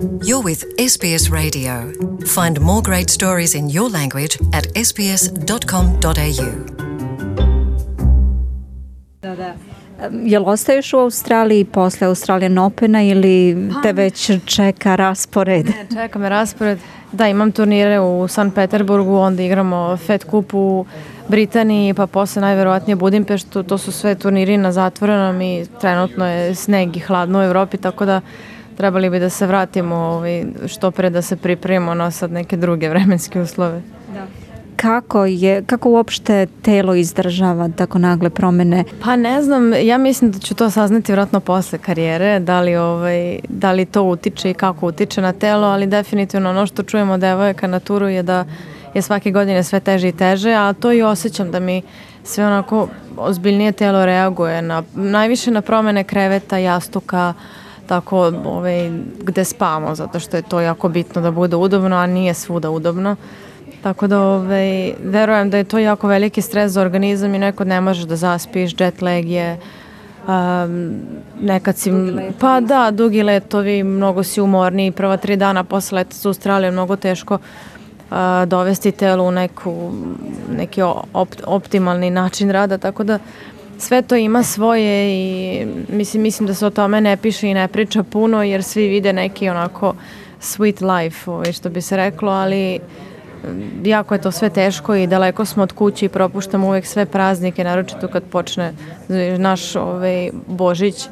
You're with SBS Radio. Find more great stories in your language at sbs.com.au. Jel ostaješ u Australiji posle Australian Opena ili te već čeka raspored? Ne, čeka me raspored. Da, imam turnire u Sankt Peterburgu, onda igramo Fed Cup u Britaniji, pa posle najverovatnije Budimpeštu. To su sve turniri na zatvorenom i trenutno je sneg i hladno u Evropi, tako da trebali bi da se vratimo što pre da se pripremimo na sad neke druge vremenske uslove. Da. Kako uopšte telo izdržava tako nagle promene? Pa ne znam, ja mislim da ću to saznati vjerojatno posle karijere, da li to utiče i kako utiče na telo, ali definitivno ono što čujemo od devojaka na turu je da je svake godine sve teže i teže, a to i osjećam da mi sve onako ozbiljnije telo reaguje najviše na promene kreveta, jastuka, tako gde spavamo, zato što je to jako bitno da bude udobno, a nije svuda udobno. Tako da verujem da je to jako veliki stres za organizam i nekad ne možeš da zaspiš, jet lag je, nekad si, pa da, dugi letovi, mnogo si umorniji, prva 3 dana posle leta za Australiju je mnogo teško dovesti telo u neki optimalni način rada, tako da sve to ima svoje i mislim da se o tome ne piše i ne priča puno jer svi vide neki onako sweet life, što bi se reklo, ali jako je to sve teško i daleko smo od kuće i propuštamo uvek sve praznike, naročito kad počne naš Božić,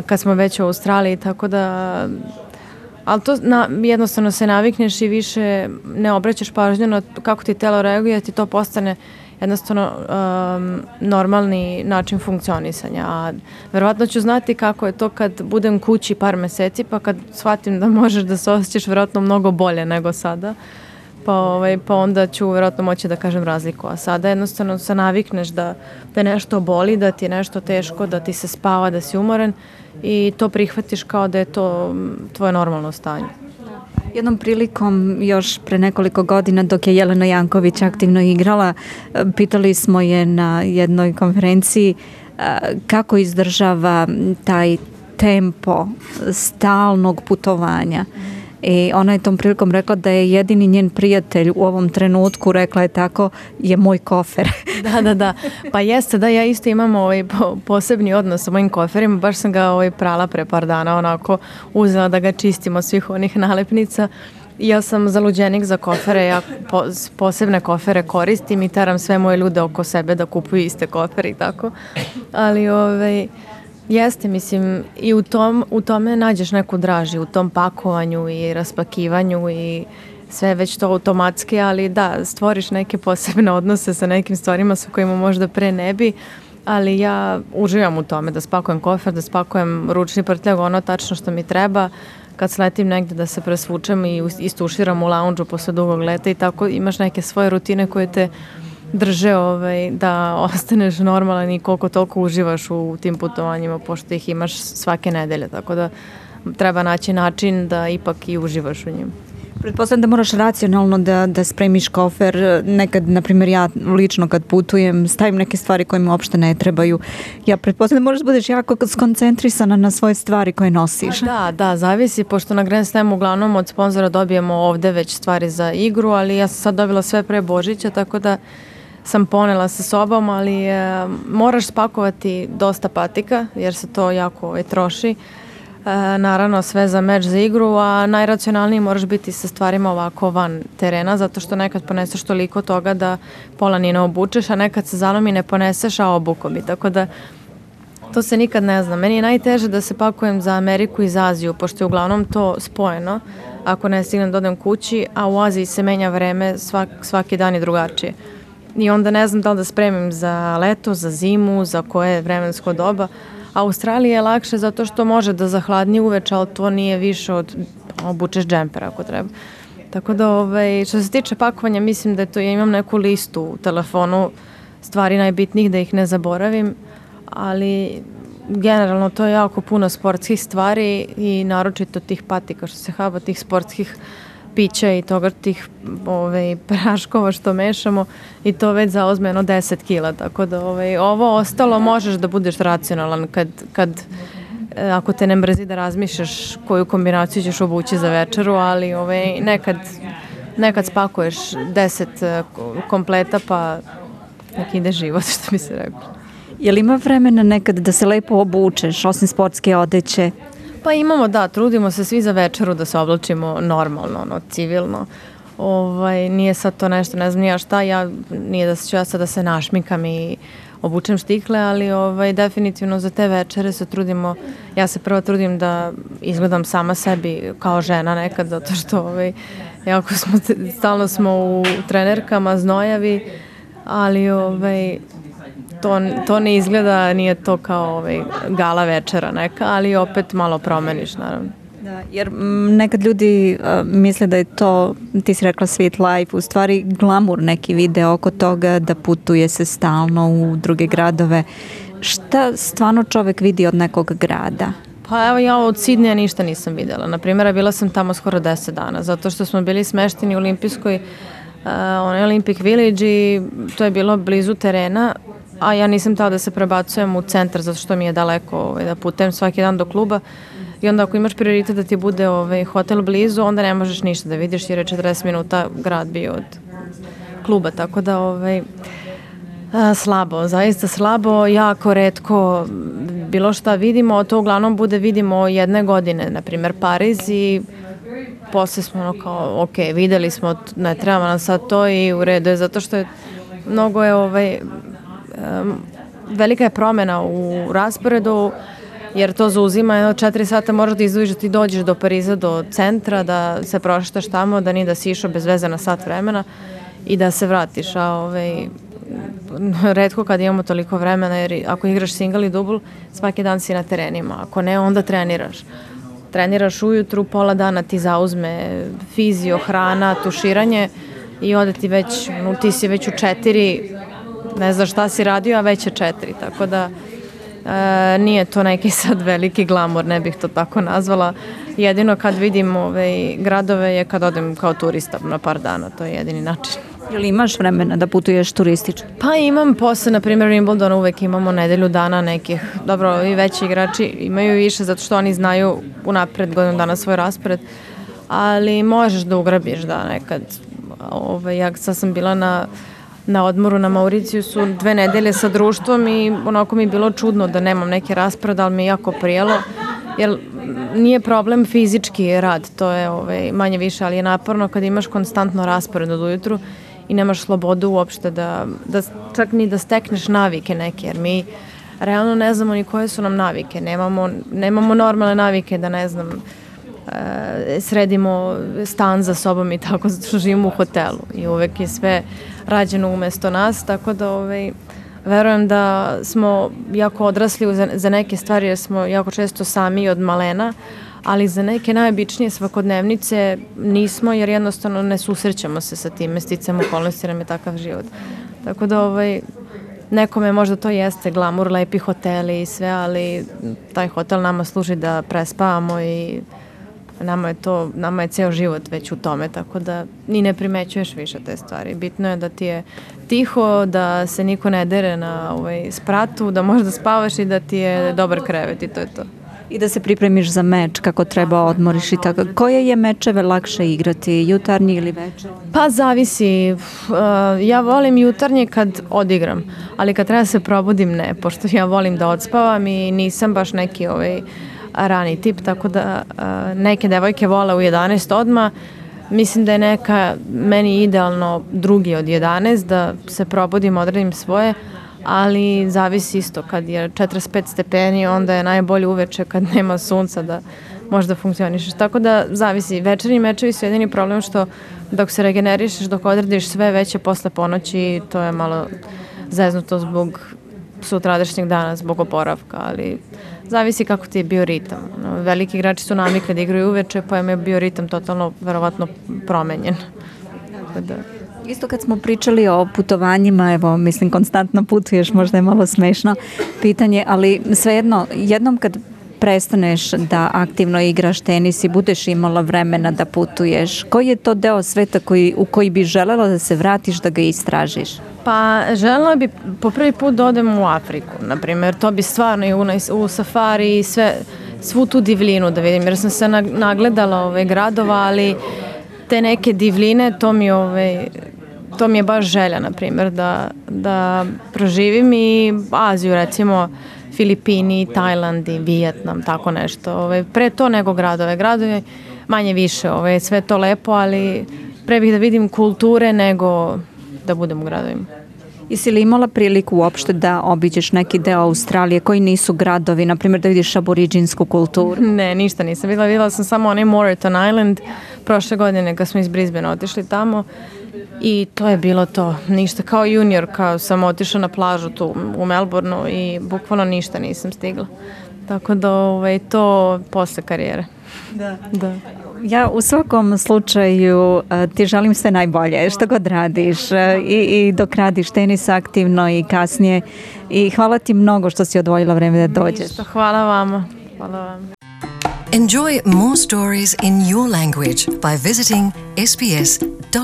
kad smo već u Australiji, tako da, ali to jednostavno se navikneš i više ne obraćaš pažnju na kako ti telo reaguje, ti to postane jednostavno normalni način funkcionisanja, a verovatno ću znati kako je to kad budem kući par meseci, pa kad shvatim da možeš da se osjećaš verovatno mnogo bolje nego sada, pa onda ću verovatno moći da kažem razliku, a sada jednostavno se navikneš da te nešto boli, da ti je nešto teško, da ti se spava, da si umoran i to prihvatiš kao da je to tvoje normalno stanje. Jednom prilikom, još pre nekoliko godina, dok je Jelena Janković aktivno igrala, pitali smo je na jednoj konferenciji kako izdržava taj tempo stalnog putovanja. I ona je tom prilikom rekla da je jedini njen prijatelj u ovom trenutku, rekla je tako, je moj kofer. Da. Pa jeste, da, ja isto imam posebni odnos sa mojim koferima, baš sam ga prala pre par dana, onako uzela da ga čistim od svih onih nalepnica. Ja sam zaluđenik za kofere, ja posebne kofere koristim i teram sve moje ljude oko sebe da kupuju iste kofere i tako. Ali jeste, mislim, i u tome nađeš neku draži, u tom pakovanju i raspakivanju i sve već to automatski, ali da, stvoriš neke posebne odnose sa nekim stvarima sa kojima možda pre ne bi, ali ja uživam u tome da spakujem kofer, da spakujem ručni prtljag, ono tačno što mi treba, kad sletim negde da se presvučem i istuširam u lounge-u posle dugog leta i tako imaš neke svoje rutine koje te drže da ostaneš normalan i koliko toliko uživaš u tim putovanjima, pošto ih imaš svake nedelje, tako da treba naći način da ipak i uživaš u njim. Pretpostavljam da moraš racionalno da spremiš kofer. Nekad, na primjer, ja lično kad putujem stavim neke stvari koje mi uopšte ne trebaju. Ja pretpostavljam da moraš da budeš jako skoncentrisana na svoje stvari koje nosiš. Da, zavisi, pošto na Grand Slamu uglavnom od sponzora dobijemo ovde već stvari za igru, ali ja sam sad dobila sve pre Božića, tako da sam ponela sa sobom, ali moraš spakovati dosta patika, jer se to jako troši. Naravno sve za meč, za igru, a najracionalniji moraš biti sa stvarima ovako van terena, zato što nekad poneseš toliko toga da pola ni ne obučeš, a nekad se zalomi ne poneseš, a obuko bi, tako da to se nikad ne zna. Meni je najteže da se pakujem za Ameriku i za Aziju, pošto je uglavnom to spojeno, ako ne stignem da odem kući, a u Aziji se menja vreme, svaki dan je drugačije. I onda ne znam da li da spremim za leto, za zimu, za koje vremensko doba. Australija je lakše zato što može da zahladni uveče, ali to nije više od obučeš džemper ako treba. Tako da što se tiče pakovanja, mislim da ja imam neku listu u telefonu stvari najbitnijih da ih ne zaboravim, ali generalno to je jako puno sportskih stvari i naročito tih patika što se haba, tih sportskih pića i toga tih praškova što mešamo i to već zauzme 10 kila, tako da ovo ostalo možeš da budeš racionalan kad ako te ne mrzi da razmišljaš koju kombinaciju ćeš obući za večeru, ali nekad spakuješ 10 kompleta pa nek ide život, što bi se reklo. Je li ima vremena nekad da se lepo obučeš, osim sportske odeće? Pa imamo, da, trudimo se svi za večeru da se oblačimo normalno, civilno. Nije sad to nešto, ne znam nija šta, nije da ću ja sad da se našmikam i obučem štikle, ali definitivno za te večere se trudimo, ja se prvo trudim da izgledam sama sebi kao žena nekad, zato što jako stalno smo u trenerkama, znojavi, ali to ne izgleda, nije to kao gala večera neka, ali opet malo promeniš, naravno. Da, jer nekad ljudi misle da je to, ti si rekla sweet life, u stvari glamur neki vide oko toga, da putuje se stalno u druge gradove. Šta stvarno čovek vidi od nekog grada? Pa evo, ja od Sidneja ništa nisam videla. Naprimjer, bila sam tamo skoro 10 dana, zato što smo bili smešteni u olimpijskoj Olympic Village i to je bilo blizu terena, a ja nisam htela da se prebacujem u centar zato što mi je daleko da putujem svaki dan do kluba. I onda ako imaš prioritet da ti bude hotel blizu, onda ne možeš ništa da vidiš jer je 40 minuta grad bio od kluba, tako da slabo, zaista slabo, jako retko bilo šta vidimo, to uglavnom vidimo jedne godine, na primjer Pariz, i posle smo kao, ok, videli smo, ne treba nam sad to i u redu je, zato što je mnogo velika je promjena u rasporedu, jer to zauzima 4 sata, moraš da izdvojiš da ti dođeš do Pariza, do centra, da se prošetaš tamo, da nije da si išao bez veze na sat vremena i da se vratiš. A retko kad imamo toliko vremena, jer ako igraš single i dubl, svaki dan si na terenima. Ako ne, onda treniraš. Treniraš ujutru, pola dana ti zauzme fizio, hrana, tuširanje i ode ti već, ti si već u 4, ne znaš šta si radio, a već je 4, tako da nije to neki sad veliki glamor, ne bih to tako nazvala. Jedino kad vidim gradove je kad odem kao turista na par dana, to je jedini način. Ili imaš vremena da putuješ turistički? Pa imam posle, na primjer Wimbledona uvek imamo nedelju dana nekih, dobro i veći igrači imaju više zato što oni znaju unapred godinu dana svoj raspored, ali možeš da ugrabiš da nekad. Ja sad sam bila na odmoru na Mauricijusu 2 nedelje sa društvom i onako mi je bilo čudno da nemam neki raspored, ali mi je jako prijelo, jer nije problem fizički rad, to je manje više, ali je naporno kad imaš konstantno raspored od ujutru i nemaš slobodu uopšte da čak ni da stekneš navike neke, jer mi realno ne znamo ni koje su nam navike, nemamo normalne navike da ne znam, sredimo stan za sobom i tako, zato što živimo u hotelu i uvek je sve rađeno umesto nas, tako da verujem da smo jako odrasli za neke stvari jer smo jako često sami od malena, ali za neke najobičnije svakodnevnice nismo, jer jednostavno ne susrećemo se sa tim, sticam okolnosti, nam je takav život. Tako da nekome možda to jeste glamur, lepi hoteli i sve, ali taj hotel nama služi da prespavamo i nama je ceo život već u tome, tako da ni ne primećuješ više te stvari. Bitno je da ti je tiho, da se niko ne dere na spratu, da možeš da spavaš i da ti je dobar krevet i to je to. I da se pripremiš za meč, kako treba odmoriš i tako. Koje je mečeve lakše igrati, jutarnji ili večer? Pa zavisi. Ja volim jutarnji kad odigram, ali kad treba se probudim ne, pošto ja volim da odspavam i nisam baš neki rani tip, tako da neke devojke vole u 11 odmah. Mislim da je neka meni idealno drugi od 11, da se probudim, odradim svoje, ali zavisi isto, kad je 45 stepeni, onda je najbolje uveče kad nema sunca da možda funkcionišeš. Tako da zavisi, večernji mečevi su jedini problem što dok se regenerišeš, dok odradiš sve veće posle ponoći, to je malo zeznuto zbog sutradešnjeg dana, zbog oporavka, ali zavisi kako ti je bio ritam. Veliki igrači su navikli da igraju uveče, pa je bio ritam totalno, verovatno, promenjen. Da. Isto kad smo pričali o putovanjima, evo, mislim, konstantno putuješ, možda je malo smešno pitanje, ali svejedno, jednom kad prestaneš da aktivno igraš tenis i budeš imala vremena da putuješ, koji je to deo sveta u koji bi želela da se vratiš, da ga istražiš? Pa želela bi po prvi put da odem u Afriku, na primjer, to bi stvarno i u safari i sve, svu tu divljinu da vidim, jer sam se nagledala gradova, ali te neke divljine, to mi je baš želja, na primjer, da proživim i Aziju, recimo Filipini, Tajland i Vijetnam, tako nešto. Pre to nego gradove. Gradovi manje više, sve to lepo, ali pre bih da vidim kulture nego da budem u gradovima. Jesi li imala priliku uopšte da obiđeš neki deo Australije koji nisu gradovi, na primjer da vidiš aboriđinsku kulturu? Ne, ništa nisam videla. Videla sam samo onaj Moreton Island prošle godine kad smo iz Brisbanea otišli tamo i to je bilo to. Ništa, kao junior, kao sam otišla na plažu tu u Melbourneu i bukvalno ništa nisam stigla. Tako da to posle karijere. Da. Ja u svakom slučaju ti želim sve najbolje što god radiš i dok radiš tenis aktivno i kasnije i hvala ti mnogo što si odvojila vreme da dođeš. Ništa, hvala vama. Hvala vam. Enjoy more stories in your language by visiting sbs.com.au.